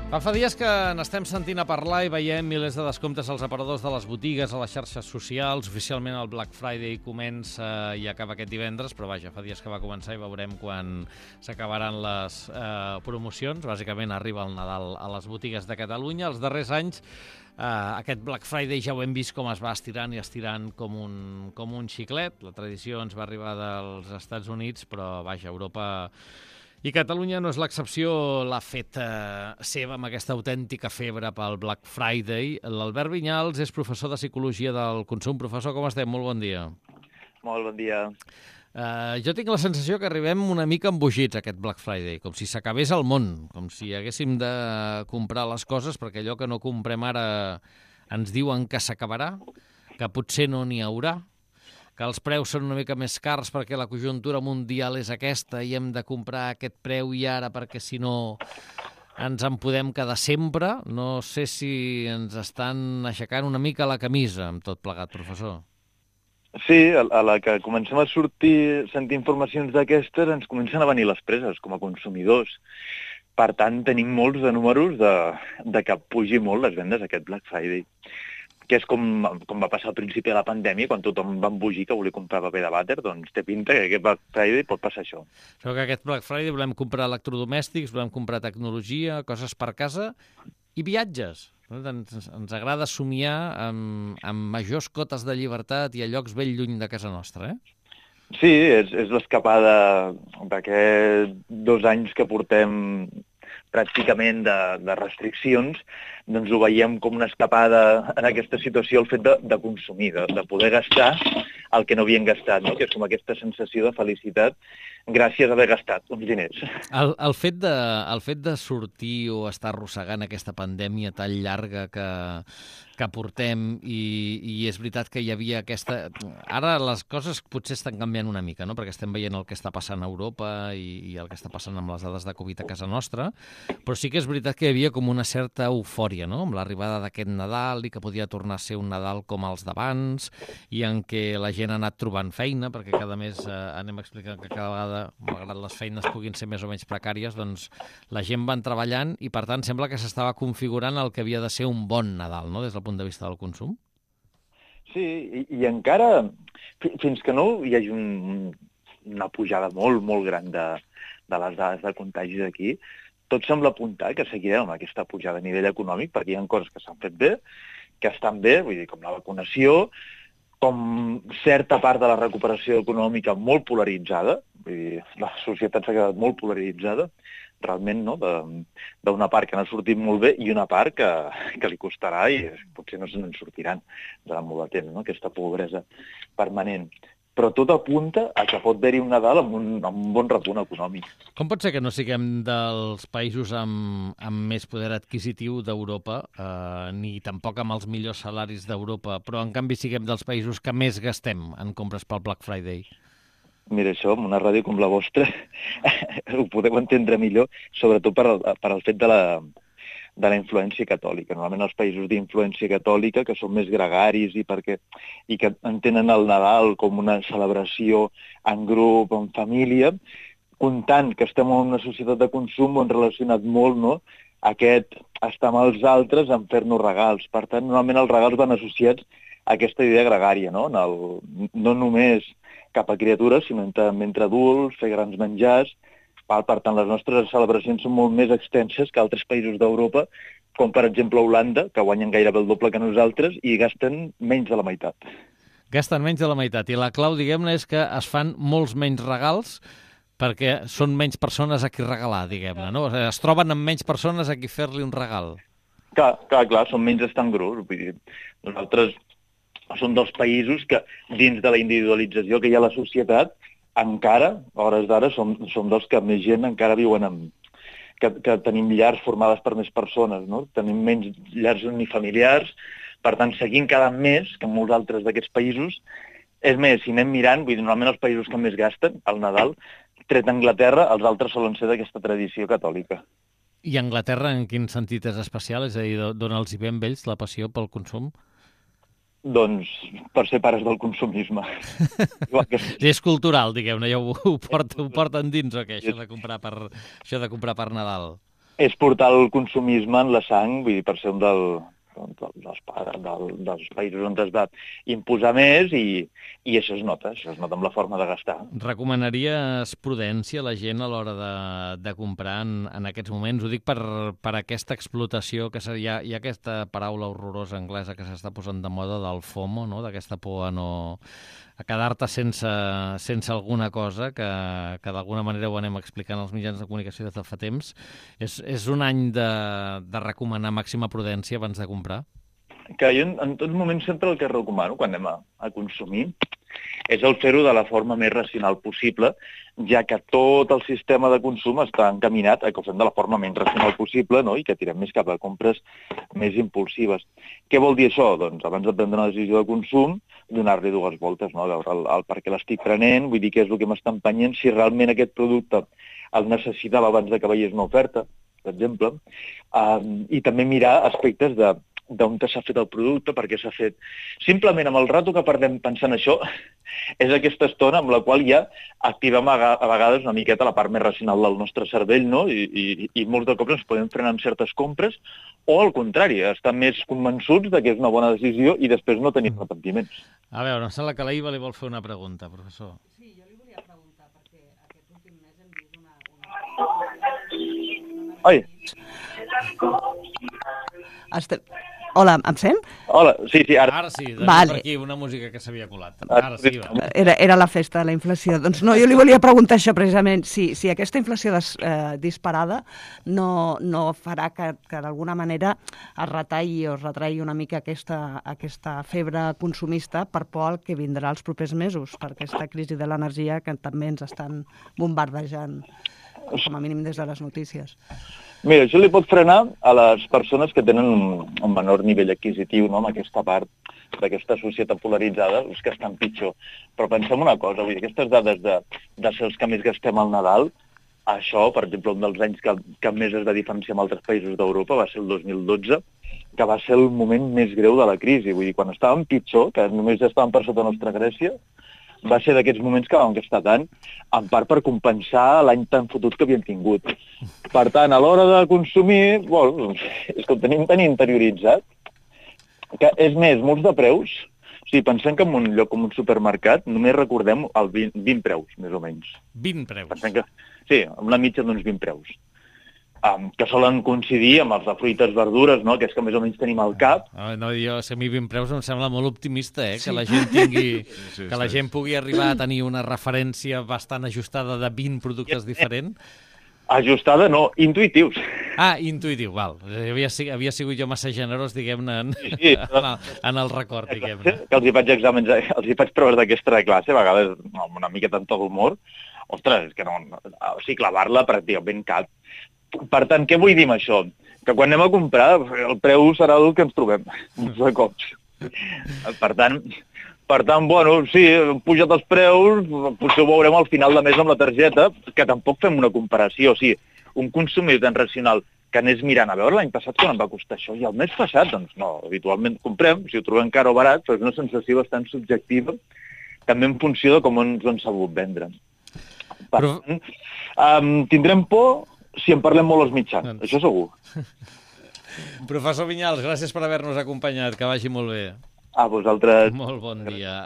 Fa dies que n'estem sentint a parlar i veiem milers de descomptes als aparadors de les botigues, a les xarxes socials. Oficialment el Black Friday comença i acaba aquest divendres, però vaja, fa dies que va començar i veurem quan s'acabaran les promocions. Bàsicament arriba el Nadal a les botigues de Catalunya. Els darrers anys aquest Black Friday ja ho hem vist com es va estirant i estirant com un xiclet. La tradició ens va arribar dels Estats Units, però vaja, Europa i Catalunya no és l'excepció, l'ha fet seva amb aquesta autèntica febre pel Black Friday. L'Albert Vinyals és professor de Psicologia del Consum. Professor, com estem? Molt bon dia. Molt bon dia. Jo tinc la sensació que arribem una mica embogits a aquest Black Friday, com si s'acabés el món, com si haguéssim de comprar les coses perquè allò que no comprem ara ens diuen que s'acabarà, que potser no n'hi haurà, que els preus són una mica més cars perquè la conjuntura mundial és aquesta i hem de comprar aquest preu i ara perquè si no ens en podem quedar sempre. No sé si ens estan aixecant una mica la camisa amb tot plegat, professor. Sí, a la que comencem a sentir informacions d'aquestes ens comencen a venir les preses com a consumidors. Per tant, tenim molts de números de que pugi molt les vendes aquest Black Friday, que és com va passar al principi de la pandèmia, quan tothom va embogir que volia comprar paper de vàter, doncs té pinta que aquest Black Friday pot passar això. Però que aquest Black Friday volem comprar electrodomèstics, volem comprar tecnologia, coses per casa i viatges. Ens agrada somiar amb majors cotes de llibertat i a llocs ben lluny de casa nostra, Sí, és l'escapada d'aquests 2 anys que portem pràcticament de restriccions, doncs ho veiem com una escapada en aquesta situació, el fet de consumir, de poder gastar el que no havien gastat, no? Que és com aquesta sensació de felicitat gràcies a haver gastat uns diners. El fet de sortir o estar arrossegant aquesta pandèmia tan llarga que portem i és veritat que hi havia aquesta... Ara les coses potser estan canviant una mica, no? Perquè estem veient el que està passant a Europa i el que està passant amb les dades de Covid a casa nostra, però sí que és veritat que hi havia com una certa eufòria, no? Amb l'arribada d'aquest Nadal i que podia tornar a ser un Nadal com els d'abans i en què la gent ha anat trobant feina, perquè cada mes anem explicant que cada vegada, malgrat les feines puguin ser més o menys precàries, doncs la gent van treballant i per tant sembla que s'estava configurant el que havia de ser un bon Nadal, no? Des del punt de vista del consum. Sí, i encara, fins que no hi hagi una pujada molt, molt gran de les dades de contagis aquí, tot sembla apuntar que seguirem amb aquesta pujada a nivell econòmic, perquè hi ha coses que s'han fet bé, que estan bé, vull dir, com la vacunació, com certa part de la recuperació econòmica molt polaritzada, vull dir, la societat s'ha quedat molt polaritzada, realment, no?, d'una part que n'ha sortit molt bé i una part que li costarà i potser no se n'en sortiran durant molt de temps, no?, aquesta pobresa permanent. Però tot apunta a que pot haver-hi un Nadal amb un bon repunt econòmic. Com pot ser que no siguem dels països amb més poder adquisitiu d'Europa, ni tampoc amb els millors salaris d'Europa, però en canvi siguem dels països que més gastem en compres pel Black Friday? Mira, això, amb una ràdio com la vostra, ho podeu entendre millor, sobretot per al fet de la influència catòlica. Normalment els països d'influència catòlica, que són més gregaris i que entenen el Nadal com una celebració en grup, en família, comptant que estem en una societat de consum, ho han relacionat molt, no?, aquest estar amb els altres en fer-nos regals. Per tant, normalment els regals van associats a aquesta idea gregària, no? No només cap a criatures, sinó entre adults, fer grans menjars. Per tant, les nostres celebracions són molt més extenses que altres països d'Europa, com per exemple Holanda, que guanyen gairebé el doble que nosaltres i gasten menys de la meitat. Gasten menys de la meitat. I la clau, diguem-ne, és que es fan molts menys regals perquè són menys persones a qui regalar, diguem-ne, no? O sigui, es troben amb menys persones a qui fer-li un regal. Clar, són menys estar en grup. Vull dir, nosaltres som dels països que, dins de la individualització que hi ha a la societat, encara, a hores d'ara, som dels que més gent encara viuen que tenim llars formades per més persones, no? Tenim menys llars unifamiliars, per tant, seguim cada més que molts altres d'aquests països. És més, si anem mirant, vull dir, normalment els països que més gasten al Nadal, tret Anglaterra, els altres solen ser d'aquesta tradició catòlica. I Anglaterra en quin sentit és especial? És a dir, d'on els hi ve amb ells la passió pel consum? Doncs per ser pares del consumisme. És cultural, diguem-ne, ja ho porten dins, o què, això de comprar per Nadal? És portar el consumisme en la sang, vull dir, per ser un dels països on es va imposar més i això es nota amb la forma de gastar. Recomanaries prudència a la gent a l'hora de comprar en aquests moments? Ho dic per aquesta explotació, que hi ha aquesta paraula horrorosa anglesa que s'està posant de moda del FOMO, no? D'aquesta por a quedar-te sense alguna cosa, que d'alguna manera ho anem explicant als mitjans de comunicació des de fa temps. És un any de recomanar màxima prudència abans de comprar? Que jo en tots moments sempre el que recomano quan anem a consumir és el fer-ho de la forma més racional possible, ja que tot el sistema de consum està encaminat a que ho fem de la forma menys racional possible, no? I que tirem més cap a compres més impulsives. Què vol dir això? Doncs abans de prendre una decisió de consum, donar-li dues voltes, no? A veure el per què l'estic prenent, vull dir què és el que m'està empenyent, si realment aquest producte el necessitava abans de que veiés una oferta, per exemple, i també mirar aspectes d'on s'ha fet el producte, per què s'ha fet. Simplement, amb el rato que perdem pensant això, és aquesta estona amb la qual ja activem a vegades una miqueta la part més racional del nostre cervell, no? I molts de cops ens podem frenar amb certes compres, o al contrari, estar més convençuts de que és una bona decisió i després no tenir arrepentiments. A veure, em sembla que la Iva li vol fer una pregunta, professor. Sí, jo li volia preguntar, perquè aquest últim mes hem vist una... Ai! Hola, em sent? Hola, sí, ara. Ara sí, Vale. per aquí una música que s'havia colat. Ara sí, va. Era la festa de la inflació. Doncs no, jo li volia preguntar això precisament, si aquesta inflació disparada no farà que d'alguna manera es retalli o es retraigui una mica aquesta febre consumista per por al que vindrà els propers mesos, per aquesta crisi de l'energia que també ens estan bombardejant, com a mínim des de les notícies. Mira, això li pot frenar a les persones que tenen un menor nivell adquisitiu, no?, amb aquesta part d'aquesta societat polaritzada, els que estan pitjor. Però pensem una cosa, vull dir, aquestes dades de ser els que més gastem al Nadal, això, per exemple, un dels anys que més es va diferenciar amb altres països d'Europa va ser el 2012, que va ser el moment més greu de la crisi. Vull dir, quan estàvem pitjor, que només estàvem per sota nostra Grècia, va ser d'aquests moments que vam gastar tant, en part per compensar l'any tan fotut que havíem tingut. Per tant, a l'hora de consumir, bueno, és que ho tenim tan interioritzat, que és més, molts de preus, o sigui, pensem que en un lloc com un supermercat només recordem el 20 preus, més o menys. 20 preus? Pensem que, sí, una mitja d'uns 20 preus. Que solen coincidir amb els de fruites, verdures, no?, que és que més o menys tenim al cap. No, jo, a mi 20 preus em sembla molt optimista, que la gent tingui... que la gent pugui arribar a tenir una referència bastant ajustada de 20 productes diferents. Ajustada, no, intuïtius. Intuïtiu, val. Havia sigut jo massa generós, diguem-ne, en el record, diguem-ne. Que els hi faig exàmens, els hi faig proves d'aquesta classe, a vegades amb una mica tant d'humor. Ostres, és que no... O sigui, clavar-la pràcticament cap. Per tant, què vull dir amb això? Que quan anem a comprar, el preu serà el que ens trobem, de cops. Per tant, bueno, sí, han pujat els preus, potser ho veurem al final de mes amb la targeta, que tampoc fem una comparació. O sigui, un consumidor tan racional que anés mirant a veure l'any passat quan em va costar això, i el mes passat, doncs no, habitualment comprem, si ho trobem car o barat, però és una sensació bastant subjectiva, també en funció de com ens ho han sabut vendre. Per tant, tindrem por si en parlem molt als mitjans, això segur. Professor Vinyals, gràcies per haver-nos acompanyat, que vagi molt bé. A vosaltres. Molt bon dia.